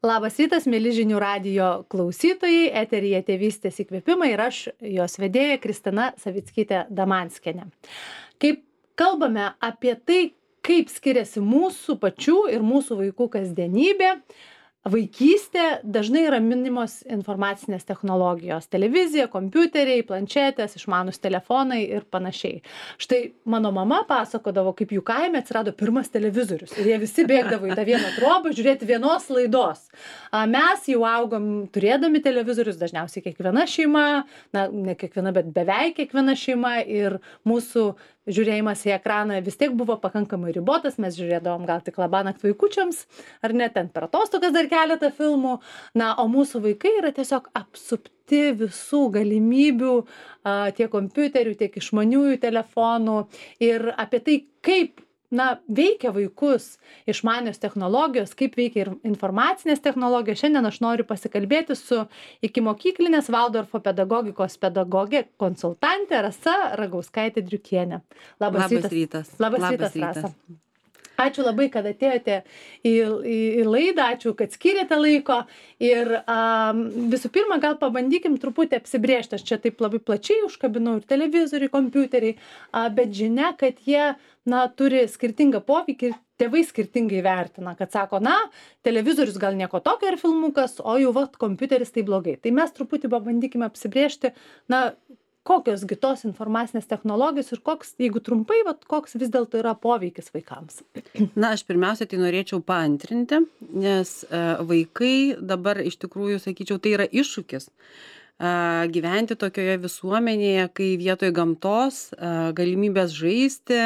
Labas rytas, mėly žinių radijo klausytojai, eteryje Tėvystės įkvėpimai ir aš, jos vedėja Kristina Savickytė-Damanskienė. Kaip kalbame apie tai, kaip skiriasi mūsų pačių ir mūsų vaikų kasdienybė, vaikystė, dažnai yra minimos informacinės technologijos, televizija, kompiuteriai, planšetės, išmanūs telefonai ir panašiai. Štai mano mama pasakodavo, kaip jų kaime atsirado pirmas televizorius ir jie visi bėgdavo į tą vieną trobą žiūrėti vienos laidos. Mes jau augom turėdami televizorius, dažniausiai kiekviena šeima, ne kiekviena, bet beveik kiekviena šeima, ir mūsų žiūrėjimas į ekraną vis tiek buvo pakankamai ribotas, mes žiūrėdavom gal tik labanakt vaikučiams, ar net ten per atostogas dar keletą filmų, o mūsų vaikai yra tiesiog apsupti visų galimybių, tiek kompiuterių, tiek išmaniųjų telefonų, ir apie tai, kaip veikia vaikus išmanios technologijos, kaip veikia ir informacinės technologijos. Šiandien aš noriu pasikalbėti su ikimokyklinės Valdorfo pedagogikos pedagogė konsultantė Rasa Ragauskaitė-Driukienė. Labas rytas. Labas rytas, Rasa. Ačiū labai, kad atėjote į laidą, ačiū, kad skiriate laiko. Ir visų pirma, gal pabandykim truputį apsibrėžti. Aš čia taip labai plačiai užkabinau ir televizoriai, kompiuteriai, bet žinia, kad jie turi skirtingą poveikį ir tėvai skirtingai vertina, kad sako, televizorius gal nieko tokio ir filmukas, o jau kompiuteris tai blogai. Tai mes truputį pabandykime apsibrėžti, kokios gi tos informacinės technologijos ir koks, jeigu trumpai, koks vis dėlto yra poveikis vaikams. Aš pirmiausia tai norėčiau paantrinti, nes vaikai dabar iš tikrųjų, sakyčiau, tai yra iššūkis gyventi tokioje visuomenėje, kai vietoj gamtos, galimybės žaisti,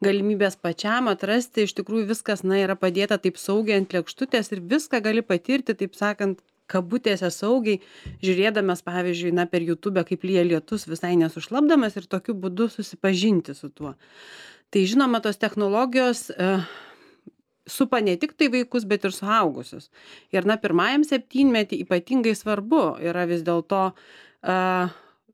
galimybės pačiam atrasti, iš tikrųjų viskas yra padėta taip saugiai ant lėkštutės ir viską gali patirti, taip sakant, kabutėse saugiai, žiūrėdamas, pavyzdžiui, per YouTube, kaip lyja lietus, visai nesušlapdamas ir tokiu būdu susipažinti su tuo. Tai žinoma, tos technologijos supa ne tik tai vaikus, bet ir suaugusius. Ir pirmajam septynmetį ypatingai svarbu yra vis dėlto,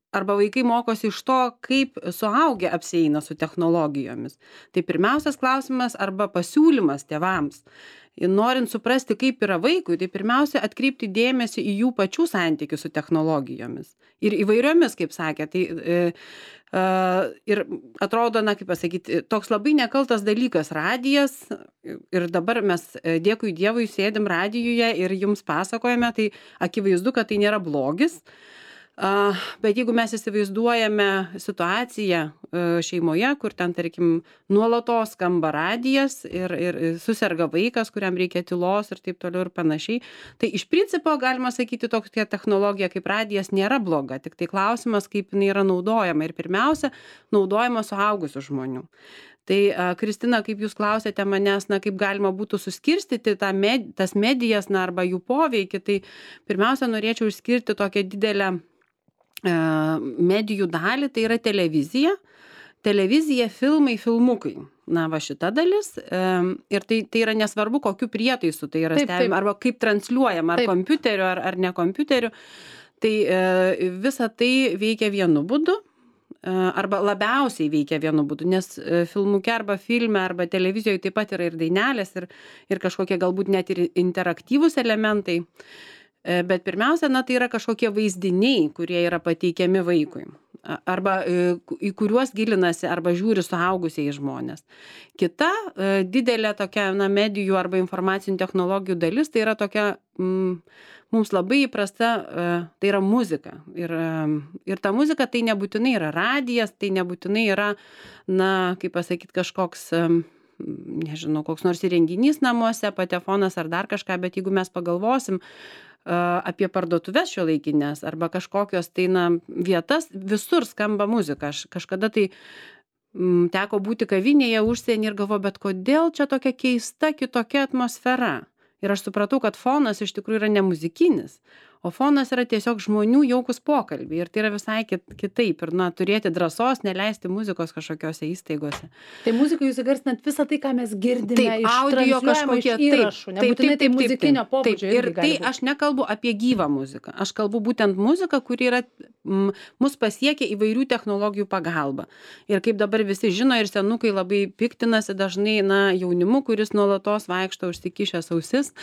arba vaikai mokosi iš to, kaip suaugę apsieina su technologijomis. Tai pirmiausias klausimas arba pasiūlymas tėvams. Norint suprasti, kaip yra vaikui, tai pirmiausia atkreipti dėmesį į jų pačių santykius su technologijomis. Ir įvairiomis, kaip sakė. Ir atrodo, kaip pasakyti, toks labai nekaltas dalykas radijas. Ir dabar mes, dėkui Dievui, sėdim radijuje ir jums pasakojame, tai akivaizdu, kad tai nėra blogis. Bet jeigu mes įsivaizduojame situaciją šeimoje, kur ten, tarkim, nuolatos skamba radijas ir suserga vaikas, kuriam reikia tylos ir taip toliau ir panašiai, tai iš principo galima sakyti, tokia technologija kaip radijas nėra bloga, tik tai klausimas, kaip jinai yra naudojama ir pirmiausia, naudojama suaugusių žmonių. Tai, Kristina, kaip jūs klausėte manęs, kaip galima būtų suskirstyti tas medijas arba jų poveikį, tai pirmiausia norėčiau išskirti tokią didelę medijų dalį, tai yra televizija, filmai, filmukai. Šita dalis. Ir tai yra nesvarbu, kokiu prietaisu tai yra stebima, arba kaip transliuojama, ar kompiuteriu, ar ne kompiuteriu. Tai visa tai veikia vienu būdu, arba labiausiai veikia vienu būdu, nes filmuke arba filme, arba televizijoje taip pat yra ir dainelės, ir kažkokie galbūt net ir interaktyvūs elementai. Bet pirmiausia, tai yra kažkokie vaizdiniai, kurie yra pateikiami vaikui, arba į kuriuos gilinasi arba žiūri suaugusieji žmonės. Kita didelė tokia medijų arba informacinių technologijų dalis, tai yra tokia mums labai įprasta, tai yra muzika. Ir ta muzika tai nebūtinai yra radijas, tai nebūtinai yra, kaip pasakyti, kažkoks, nežinau, koks nors įrenginys namuose, patefonas ar dar kažką, bet jeigu mes pagalvosim apie parduotuves šiuolaikinės arba kažkokios vietas, visur skamba muzika. Aš kažkada tai teko būti kavinėje užsienį ir galvoju, bet kodėl čia tokia keista, kitokia atmosfera? Ir aš supratau, kad fonas iš tikrųjų yra ne muzikinis, o fonas yra tiesiog žmonių jaukus pokalbiai. Ir tai yra visai kitaip. Ir turėti drąsos neleisti muzikos kažkokiose įstaigose. Tai muzikai jūs įgarsinat visą tai, ką mes girdime iš audio kažkokie įrašų. Nebūtinai tai muzikinio pobūdžio. Ir tai aš nekalbu apie gyvą muziką. Aš kalbu būtent muziką, kuri yra mus pasiekia įvairių technologijų pagalba. Ir kaip dabar visi žino ir senukai labai piktinasi dažnai, jaunimu, kuris nuolatos vaikšto užsikišęs ausis.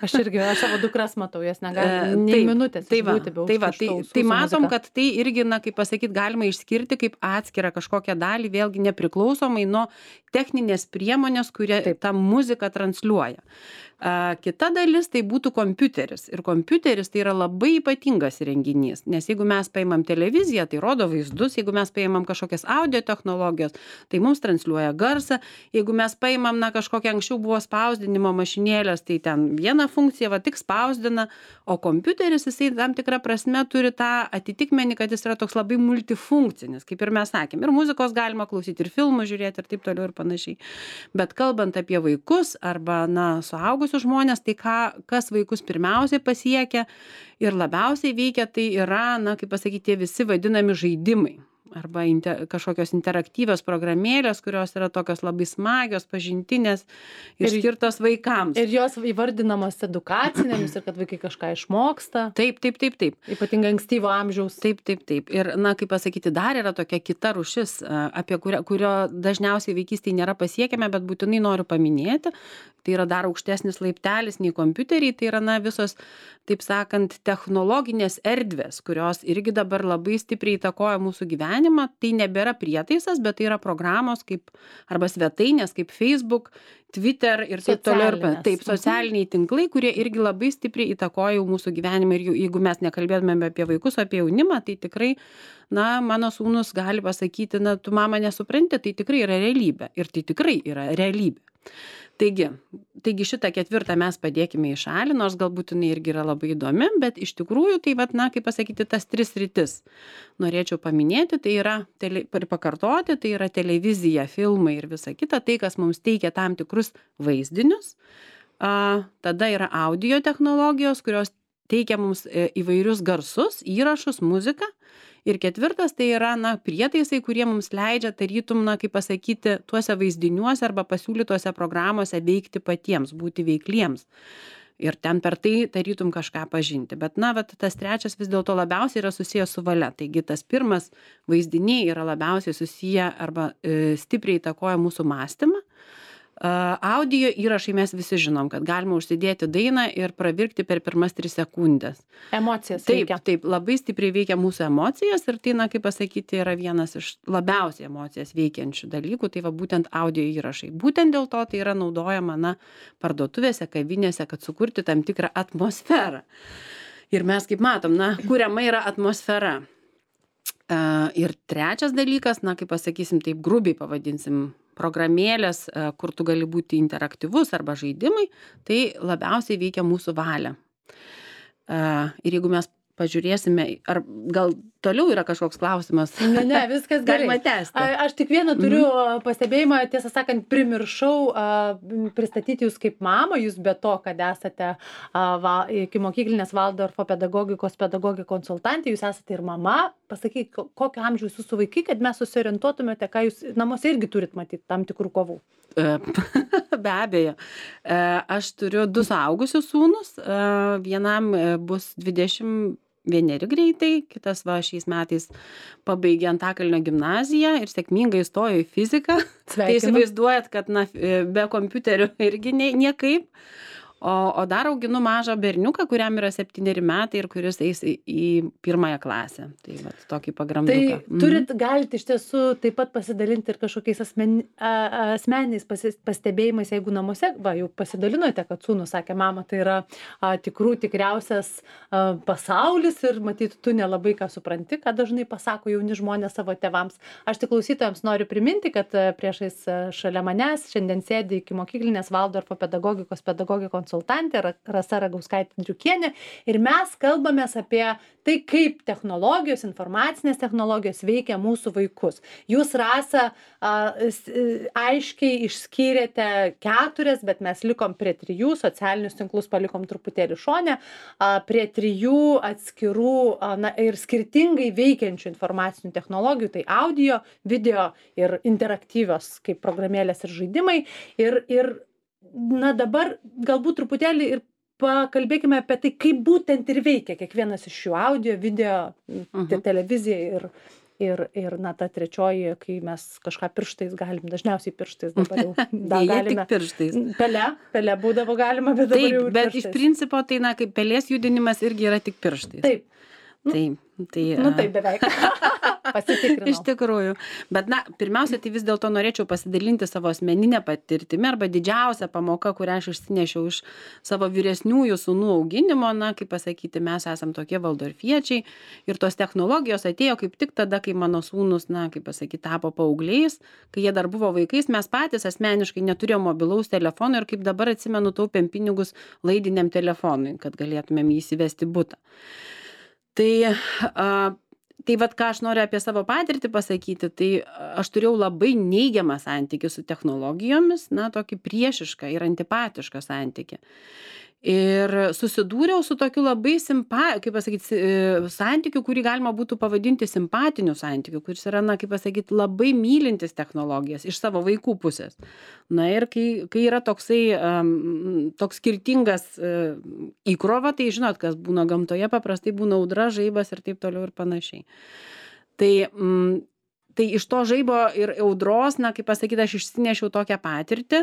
Aš savo dukras matau, jas negali nei minutės išbūti be užkištų ausų. Tai matom, kad tai irgi, kaip pasakyti, galima išskirti kaip atskirą kažkokią dalį, vėlgi nepriklausomai nuo techninės priemonės, kurie tą muziką transliuoja. Kita dalis tai būtų kompiuteris. Ir kompiuteris tai yra labai ypatingas įrenginys, nes jeigu mes paimam televiziją, tai rodo vaizdus, jeigu mes paimam kažkokias audio technologijos, tai mums transliuoja garsą, jeigu mes paimam kažkokia anksčiau buvo spausdinimo mašinėlės, tai ten viena funkcija tik spausdina, o kompiuteris jisai tam tikrą prasme turi tą atitikmenį, kad jis yra toks labai multifunkcinis, kaip ir mes sakėm. Ir muzikos galima klausyti, ir filmų žiūrėti, ir taip toliau ir panašiai. Bet kalbant apie vaikus arba suaugusius žmonės, tai kas vaikus pirmiausiai pasiekia ir labiausiai veikia, tai yra, kaip pasakyti, tie visi vadinami žaidimai arba kažkokios interaktyvios programėlės, kurios yra tokios labai smagios, pažintinės ir skirtos vaikams. Ir jos įvardinamos edukacinėmis ir kad vaikai kažką išmoksta. Taip. Ypatingai ankstyvo amžiaus. Taip. Ir, kaip pasakyti, dar yra tokia kita rūšis, apie kurio dažniausiai vaikystėje nėra pasiekiame, bet būtinai noriu paminėti. Tai yra dar aukštesnis laiptelis nei kompiuteriai, tai yra visos, taip sakant, technologinės erdvės, kurios irgi dabar labai stipriai įtakoja mūsų gyvenimą. Tai nebėra prietaisas, bet tai yra programos arba svetainės kaip Facebook, Twitter ir taip toliau. Taip, socialiniai tinklai, kurie irgi labai stipriai įtakoja mūsų gyvenimą. Ir jeigu mes nekalbėtume apie vaikus, apie jaunimą, tai tikrai, mano sūnus gali pasakyti, tu mama nesupranti, tai tikrai yra realybė. Ir tai tikrai yra realybė. Taigi šitą ketvirtą mes padėkime į šalį, nors galbūt jinai irgi yra labai įdomi, bet iš tikrųjų tai kaip pasakyti, tas 3 sritis norėčiau paminėti, tai yra ir pakartoti, tai yra televizija, filmai ir visa kita, tai kas mums teikia tam tikrus vaizdinius, tada yra audio technologijos, kurios teikia mums įvairius garsus, įrašus, muziką. Ir ketvirtas tai yra prietaisai, kurie mums leidžia tarytum, kaip pasakyti, tuose vaizdiniuose arba pasiūlytuose programuose veikti patiems, būti veikliems. Ir ten per tai tarytum kažką pažinti. Bet tas trečias vis dėlto labiausiai yra susijęs su valia. Taigi tas pirmas vaizdiniai yra labiausiai susiję arba stipriai įtakoja mūsų mąstymą. Audio įrašai mes visi žinom, kad galima užsidėti dainą ir pravirkti per pirmas 3 sekundės. Emocijas veikia. Taip, labai stipriai veikia mūsų emocijas ir tai, kaip pasakyti, yra vienas iš labiausiai emocijas veikiančių dalykų, tai būtent audio įrašai. Būtent dėl to tai yra naudojama parduotuvėse, kavinėse, kad sukurti tam tikrą atmosferą. Ir mes, kaip matom, kuriama yra atmosfera. Ir trečias dalykas, kaip pasakysim, taip grubiai pavadinsim, programėlės, kur tu gali būti interaktyvus arba žaidimai, tai labiausiai veikia mūsų valią. Ir jeigu mes pažiūrėsime, ar gal toliau yra kažkoks klausimas? Ne, viskas gerai. Galima tęsti. Aš tik vieną turiu pastebėjimą, tiesą sakant, primiršau pristatyti jūs kaip mamą, jūs be to, kad esate ikimokyklinės Valdorfo pedagogikos konsultantė, jūs esate ir mama. Pasakyk, kokio amžiaus jūsų vaikai, kad mes susiorientuotumėte, ką jūs namuose irgi turit matyti tam tikrų kovų. Be abejo. Aš turiu 2 suaugusius sūnus, vienam bus 21 greitai, kitas šiais metais pabaigė Antakalnio gimnaziją ir sėkmingai įstojo į fiziką. Tai įsivaizduojat, kad be kompiuterių irgi niekaip. O dar auginu mažą berniuką, kuriam yra 7 metai ir kuris eis į 1 klasę. Tai tokį pagramduką. Tai galite iš tiesų taip pat pasidalinti ir kažkokiais asmeniniais pastebėjimais, jeigu namuose, jau pasidalinote, kad sūnus sakė, mama, tai yra tikriausias pasaulis ir matyt, tu nelabai ką supranti, ką dažnai pasako jauni žmonės savo tėvams. Aš tik klausytojams noriu priminti, kad priešais šalia manęs šiandien sėdi ikimokyklinės Valdorfo pedagogikos konsultantė Rasa Ragauskaitė-Driukienė ir mes kalbamės apie tai, kaip technologijos, informacinės technologijos veikia mūsų vaikus. Jūs, Rasa, aiškiai išskyrėte 4, bet mes likom prie 3, socialinius tinklus palikom truputėlį šone, prie 3 atskirų ir skirtingai veikiančių informacinių technologijų, tai audio, video ir interaktyvios kaip programėlės ir žaidimai. Ir dabar galbūt truputėlį ir pakalbėkime apie tai, kaip būtent ir veikia kiekvienas iš šių audio, video, televizija ir na, ta trečioji, kai mes kažką pirštais galim, dažniausiai pirštais dabar jau galime. Tik pirštais. Pele būdavo galima, bet dabar jau Taip, bet iš principo tai, na, kaip pelės judinimas irgi yra tik pirštais. Taip. Taip, beveik. Pasitikrinau. Iš tikrųjų. Bet, na, pirmiausia, tai vis dėlto norėčiau pasidalinti savo asmeninę patirtimį arba didžiausią pamoką, kurią aš išsinešiau iš savo vyresniųjų sūnų auginimo, na, kaip pasakyti, mes esam tokie valdorfiečiai ir tos technologijos atėjo kaip tik tada, kai mano sūnus, na, kaip pasakyti, tapo paaugliais, kai jie dar buvo vaikais, mes patys asmeniškai neturėjome mobilaus telefono ir kaip dabar atsimenu, taupėm pinigus laidiniam telefonui, kad galėtumėm jį įsivesti butą. Tai vat ką aš noriu apie savo patirtį pasakyti, tai aš turėjau labai neigiamą santykį su technologijomis, na, tokį priešišką ir antipatišką santykį. Ir susidūriau su tokiu labai kaip pasakyti, santykiu, kurį galima būtų pavadinti simpatiniu santykiu, kuris yra, na, kaip pasakyti, labai mylintis technologijas iš savo vaikų pusės. Na ir kai yra toksai, toks skirtingas įkrova, tai žinot, kas būna gamtoje, paprastai būna audra, žaibas ir taip toliau ir panašiai. Tai iš to žaibo ir audros, na, kaip pasakyti, aš išsinešiau tokią patirtį,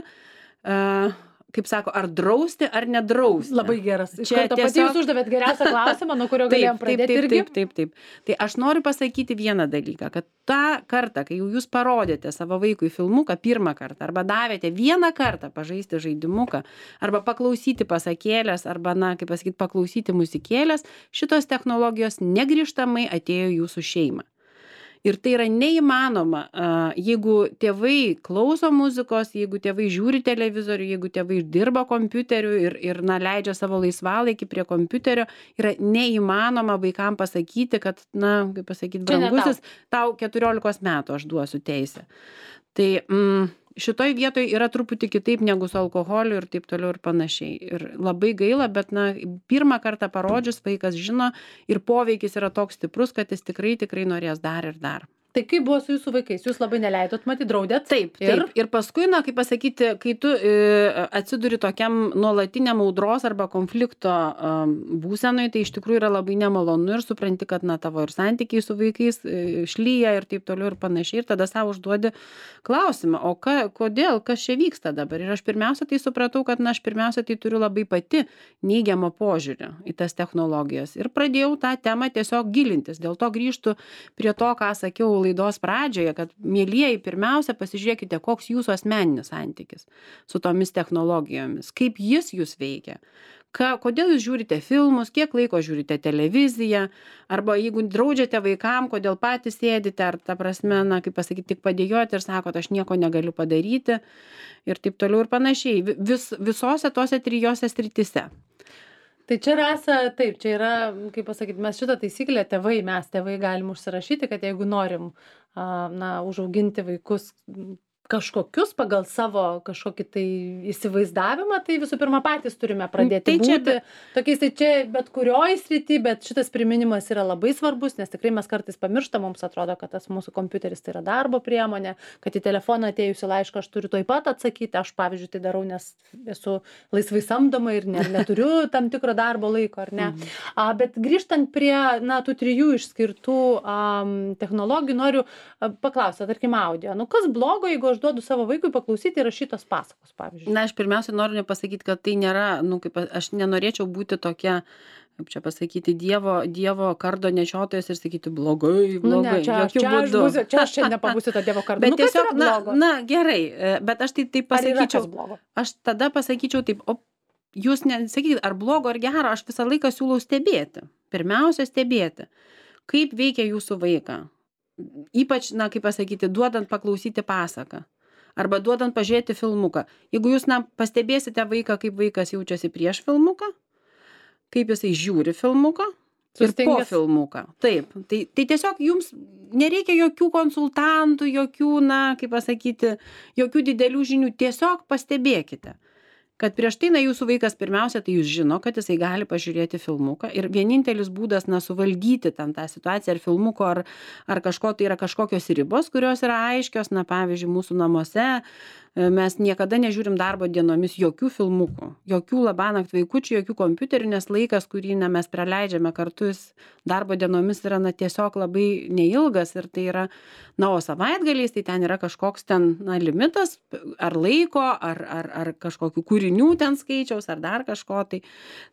kaip sako, ar drausti, ar nedrausti. Labai geras. Čia pati jūs uždavėt geriausią klausimą, nuo kurio galėjom pradėti irgi. Taip. Tai aš noriu pasakyti vieną dalyką, kad tą kartą, kai jau jūs parodėte savo vaikui filmuką pirmą kartą, arba davėte vieną kartą pažaisti žaidimuką, arba paklausyti pasakėlės, arba, na, kaip pasakyti, paklausyti muzikėlės, šitos technologijos negrįžtamai atėjo į jūsų šeimą. Ir tai yra neįmanoma, jeigu tėvai klauso muzikos, jeigu tėvai žiūri televizorių, jeigu tėvai dirba kompiuteriu ir na, leidžia savo laisvalaikį prie kompiuterio, yra neįmanoma vaikam pasakyti, kad, na, kaip pasakyti, brangusis, tau 14 metų aš duosiu teisę. Tai šitoj vietoj yra truputį kitaip negu su alkoholiu ir taip toliau ir panašiai. Ir labai gaila, bet, na, pirmą kartą parodžius vaikas žino ir poveikis yra toks stiprus, kad jis tikrai norės dar ir dar. Tai kaip buvo su jūsų vaikais? Jūs labai neleidot, matyt, draudėt? Taip. Ir paskui, na, kaip pasakyti, kai tu atsiduri tokiam nuolatiniam audros arba konflikto būsenoj, tai iš tikrųjų yra labai nemalonu ir supranti, kad, na, tavo ir santykiai su vaikais šlyja ir taip toliau ir panašiai. Ir tada savo užduodi klausimą, o kodėl, kas čia vyksta dabar? Ir aš pirmiausia tai supratau, kad, na, aš pirmiausia tai turiu labai pati neigiamą požiūrį į tas technologijas. Ir pradėjau tą temą tiesiog gilintis. Dėl to grįžtu prie to, ką sakiau laidos pradžioje, kad, mielieji, pirmiausia, pasižiūrėkite, koks jūsų asmeninis santykis su tomis technologijomis, kaip jis jūs veikia, kodėl jūs žiūrite filmus, kiek laiko žiūrite televiziją, arba jeigu draudžiate vaikam, kodėl patys sėdite, ar ta prasme, na, kaip pasakyti, tik padėjoti ir sakot, aš nieko negaliu padaryti ir taip toliau ir panašiai, visose tose trijose srityse. Tai čia Rasa, taip, čia yra, kaip pasakyti, mes šitą taisyklę mes tėvai galim užsirašyti, kad jeigu norim, na, užauginti vaikus kažkokius pagal savo kažkokį tai įsivaizdavimą, tai visų pirma patys turime pradėti būti tokiais, tai čia bet kurioj srity, bet šitas priminimas yra labai svarbus, nes tikrai mes kartais pamirštam, mums atrodo, kad tas mūsų kompiuteris tai yra darbo priemonė, kad į telefoną atėjusi laišką aš turiu tuoj pat atsakyti, aš pavyzdžiui tai darau, nes esu laisvai samdoma ir neturiu tam tikro darbo laiko, ar ne. Bet grįžtant prie, na, tų trijų išskirtų technologijų, noriu paklausti, tarkim, audio. Nu, kas blogo, jeigu aš duodu savo vaikui paklausyti rašytos pasakos, pavyzdžiui? Na, aš pirmiausia noriu pasakyti, kad tai nėra, nu, kaip aš nenorėčiau būti tokia, kaip čia pasakyti, dievo kardo nešiotojas ir sakyti blogai. Čia aš čia nepabūsiu to dievo kardo. Bet tiesiog, na, gerai, bet aš tai pasakyčiau. Aš tada pasakyčiau taip, jūs nesakykit, ar blogo, ar gero, aš visą laiką siūlau stebėti. Pirmiausia, stebėti, kaip veikia jūsų vaiką. Ypač, na, kaip pasakyti, duodant paklausyti pasaką. Arba duodant pažiūrėti filmuką. Jeigu jūs, na, pastebėsite vaiką, kaip vaikas jaučiasi prieš filmuką, kaip jisai žiūri filmuką ir po filmuką. Taip, tai tiesiog jums nereikia jokių konsultantų, jokių, na, kaip pasakyti, jokių didelių žinių. Tiesiog pastebėkite, kad prieš tai, na, jūsų vaikas pirmiausia, tai jūs žino, kad jisai gali pažiūrėti filmuką ir vienintelis būdas, na, suvaldyti ten tą situaciją ar filmuko, ar kažko, tai yra kažkokios ribos, kurios yra aiškios, na, pavyzdžiui, mūsų namuose, mes niekada nežiūrim darbo dienomis jokių filmukų, jokių labanakt vaikučių, jokių kompiuterių, nes laikas, kurį mes praleidžiame kartu, jis darbo dienomis yra tiesiog labai neilgas ir tai yra, o savaitgaliais tai ten yra kažkoks limitas ar laiko, ar kažkokių kūrinių ten skaičiaus, ar dar kažko.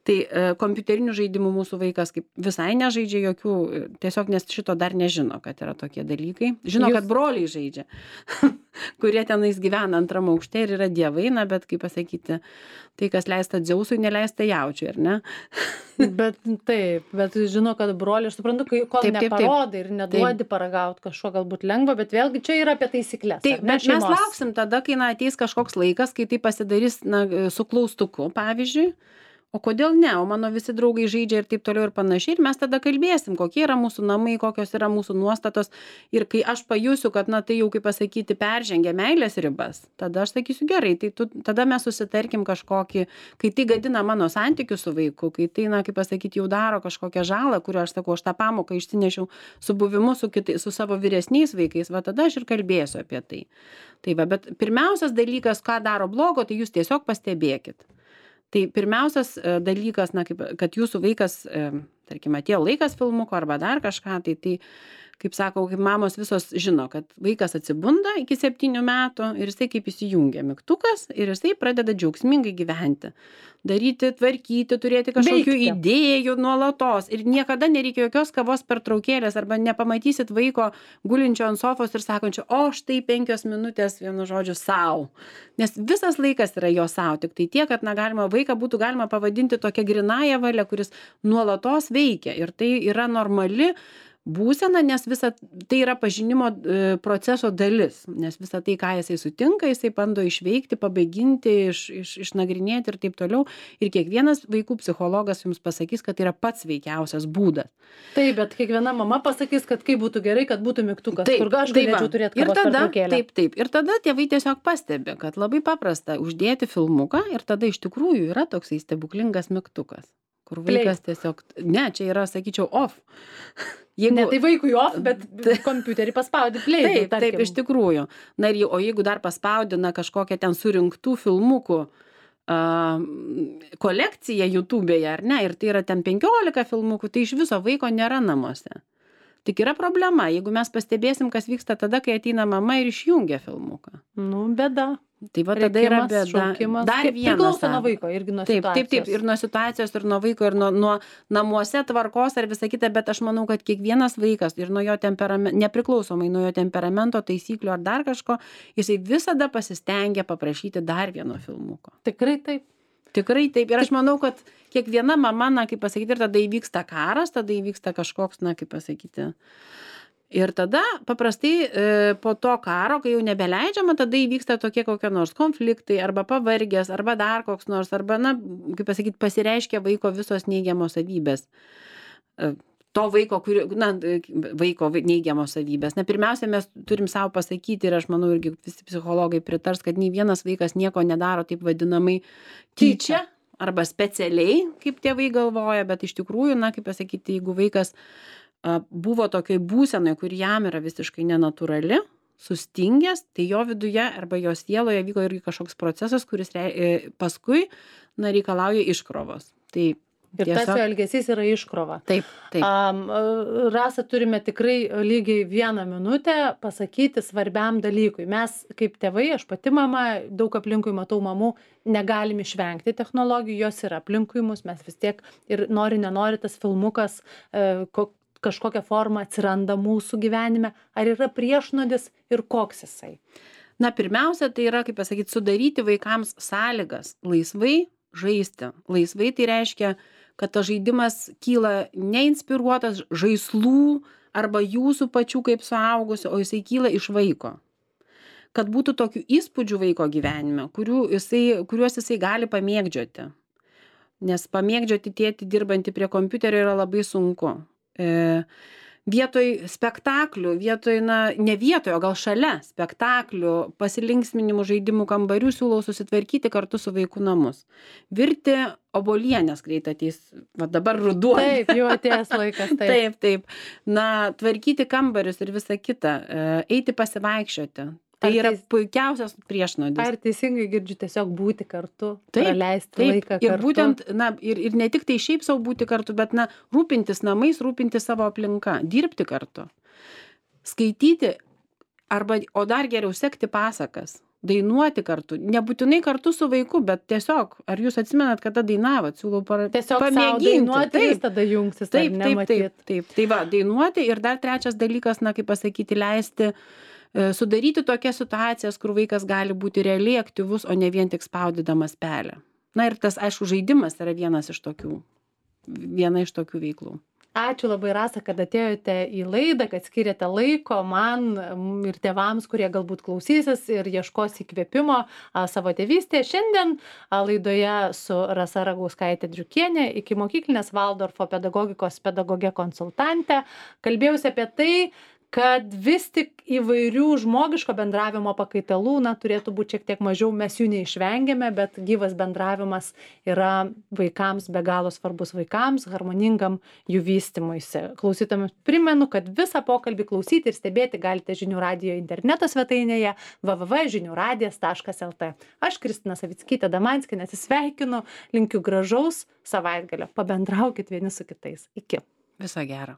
Tai kompiuterinių žaidimų mūsų vaikas kaip visai nežaidžia jokių, tiesiog nes šito dar nežino, kad yra tokie dalykai. Žino, kad broliai žaidžia, kurie tenais gyvena antram aukšte ir yra dievai, bet kaip pasakyti, tai kas leista Dzeusui, neleista jaučiui, ar ne? Bet žino, kad broliai, aš suprantu, kol neparodai ir neduodi paragauti kažko galbūt lengva, bet vėlgi čia yra apie taisyklės. Taip, bet mes lauksim tada, kai ateis kažkoks laikas, kai tai pasidarys su klaustuku, pavyzdžiui. O kodėl ne? O mano visi draugai žaidžia ir taip toliau ir panašiai. Ir mes tada kalbėsim, kokie yra mūsų namai, kokios yra mūsų nuostatos. Ir kai aš pajusiu, kad tai jau, kaip pasakyti, peržengia meilės ribas, tada aš sakysiu gerai, tai tada mes susitarkim kažkokį, kai tai gadina mano santykius su vaiku, kai tai, kaip pasakyti, jau daro kažkokią žalą, kurią aš sakau, aš tą pamoką išsinešiau su buvimu su savo vyresniais vaikais, tada aš ir kalbėsiu apie tai. Tai bet pirmiausias dalykas, ką daro blogo, tai jūs tiesiog pastebėkit. Tai pirmiausias dalykas, kad jūsų vaikas, tarkim, atėjo laikas filmuko arba dar kažką, tai kaip sakau, kaip mamos visos žino, kad vaikas atsibunda iki 7 metų ir jisai kaip įsijungia mygtukas ir jisai pradeda džiaugsmingai gyventi. Daryti, tvarkyti, turėti kažkokių idėjų nuolatos ir niekada nereikia jokios kavos pertraukėlės arba nepamatysit vaiko gulinčio ant sofos ir sakančio, o štai 5 minutės vienu žodžiu sau. Nes visas laikas yra jo sau, tik tai tiek, kad vaiką būtų galima pavadinti tokia grinąja valia, kuris nuolatos veikia ir tai yra normali būsena, nes visa tai yra pažinimo proceso dalis, nes visa tai, ką jisai sutinka, jisai bando išveikti, pabaiginti, išnagrinėti ir taip toliau. Ir kiekvienas vaikų psichologas jums pasakys, kad tai yra pats veikiausias būdas. Taip, bet kiekviena mama pasakys, kad kaip būtų gerai, kad būtų mygtukas, kur aš galėčiau turėti kavos pertraukėlę. Taip. Ir tada tėvai tiesiog pastebi, kad labai paprasta uždėti filmuką ir tada iš tikrųjų yra toksai stebuklingas mygtukas. Kur vaikas tiesiog, čia yra, sakyčiau, off. Ne, tai vaikui off, bet kompiuterį paspaudi play. Taip, iš tikrųjų. O jeigu dar paspaudi kažkokią ten surinktų filmukų kolekciją YouTube'e, ar ne, ir tai yra ten 15 filmukų, tai iš viso vaiko nėra namuose. Tik yra problema, jeigu mes pastebėsim, kas vyksta tada, kai ateina mama ir išjungia filmuką. Bėda. Tai tada yra bėda. Šaukimas. Dar vienas. Priklauso nuo vaiko irgi nuo situacijos. Taip, ir nuo situacijos, ir nuo vaiko, ir nuo namuose tvarkos, ar visa kita, bet aš manau, kad kiekvienas vaikas ir nuo jo temperamento, nepriklausomai nuo jo temperamento, taisyklių ar dar kažko, jisai visada pasistengia paprašyti dar vieno filmuko. Tikrai taip. Tikrai taip. Ir aš manau, kad kiekviena mama, kaip pasakyti, ir tada įvyksta karas, tada įvyksta kažkoks, kaip pasakyti. Ir tada paprastai po to karo, kai jau nebeleidžiama, tada įvyksta tokie kokie nors konfliktai, arba pavargęs, arba dar koks nors, arba, kaip pasakyti, pasireiškia vaiko visos neigiamos savybės. To vaiko, vaiko neigiamos savybės. Pirmiausia, mes turim savo pasakyti ir aš manau, irgi visi psichologai pritars, kad nei vienas vaikas nieko nedaro taip vadinamai tyčia arba specialiai, kaip tėvai galvoja, bet iš tikrųjų, kaip pasakyti, jeigu vaikas buvo tokioj būsenoj, kur jam yra visiškai nenatūrali, sustingęs, tai jo viduje arba jo sieloje vyko irgi kažkoks procesas, kuris paskui reikalauja iškrovos. Tai ir tas jo elgesys yra iškrova. Taip. Rasa, turime tikrai lygiai 1 minutę pasakyti svarbiam dalykui. Mes kaip tėvai, aš pati mama, daug aplinkui matau mamų, negalim išvengti technologijų, jos yra aplinkui mus, mes vis tiek ir nenori tas filmukas kažkokia forma atsiranda mūsų gyvenime. Ar yra priešnuodis ir koks jisai? Pirmiausia, tai yra, kaip pasakyti, sudaryti vaikams sąlygas laisvai žaisti. Laisvai tai reiškia, kad tas žaidimas kyla neinspiruotas žaislų arba jūsų pačių kaip suaugusių, o jisai kyla iš vaiko. Kad būtų tokių įspūdžių vaiko gyvenime, kuriuos jisai gali pamėgdžioti. Nes pamėgdžioti tėtį dirbantį prie kompiuterio yra labai sunku. Vietoj spektaklių, ne vietoj, o gal šalia spektaklių, pasilinksminimų, žaidimų kambarių siūlau susitvarkyti kartu su vaikų namus. Virti obuolienės greit ateis, dabar ruduo. Taip, jau atėjęs laikas. Taip. Tvarkyti kambarius ir visa kita, eiti pasivaikščioti. Tai yra puikiausias priešnuodis. Ar teisingai girdžiu tiesiog būti kartu, Taip, praleisti laiką kartu? Ir būtent, ir ne tik tai šiaip savo būti kartu, bet, rūpintis namais, rūpintis savo aplinka, dirbti kartu, skaityti, o dar geriau sekti pasakas, dainuoti kartu, nebūtinai kartu su vaiku, bet tiesiog, ar jūs atsimenat, kada dainavot, siūlau tiesiog pamėginti. Dainuoti, jis tada jungsis, taip. Tai va, dainuoti ir dar trečias dalykas, kaip pasakyti, leisti sudaryti tokias situacijas, kur vaikas gali būti realiai aktyvus, o ne vien tik spaudydamas pelę. Ir tas, aišku, žaidimas yra viena iš tokių veiklų. Ačiū labai, Rasa, kad atėjote į laidą, kad skiriate laiko man ir tėvams, kurie galbūt klausysis ir ieškos įkvėpimo savo tėvystėje. Šiandien laidoje su Rasa Ragauskaitė-Driukienė, ikimokyklinės Valdorfo pedagogikos pedagogė konsultantė, kalbėjausi apie tai, kad vis tik įvairių žmogiško bendravimo pakaitalų turėtų būti šiek tiek mažiau, mes jų neišvengiame, bet gyvas bendravimas yra vaikams be galo svarbus, vaikams, harmoningam jų vystymuisi. Klausytojams primenu, kad visą pokalbį klausyti ir stebėti galite Žinių radijo interneto svetainėje www.žiniuradijas.lt. Aš Kristina Savickytė-Damanskienė atsisveikinu, linkiu gražaus savaitgalio, pabendraukit vieni su kitais. Iki. Viso gero.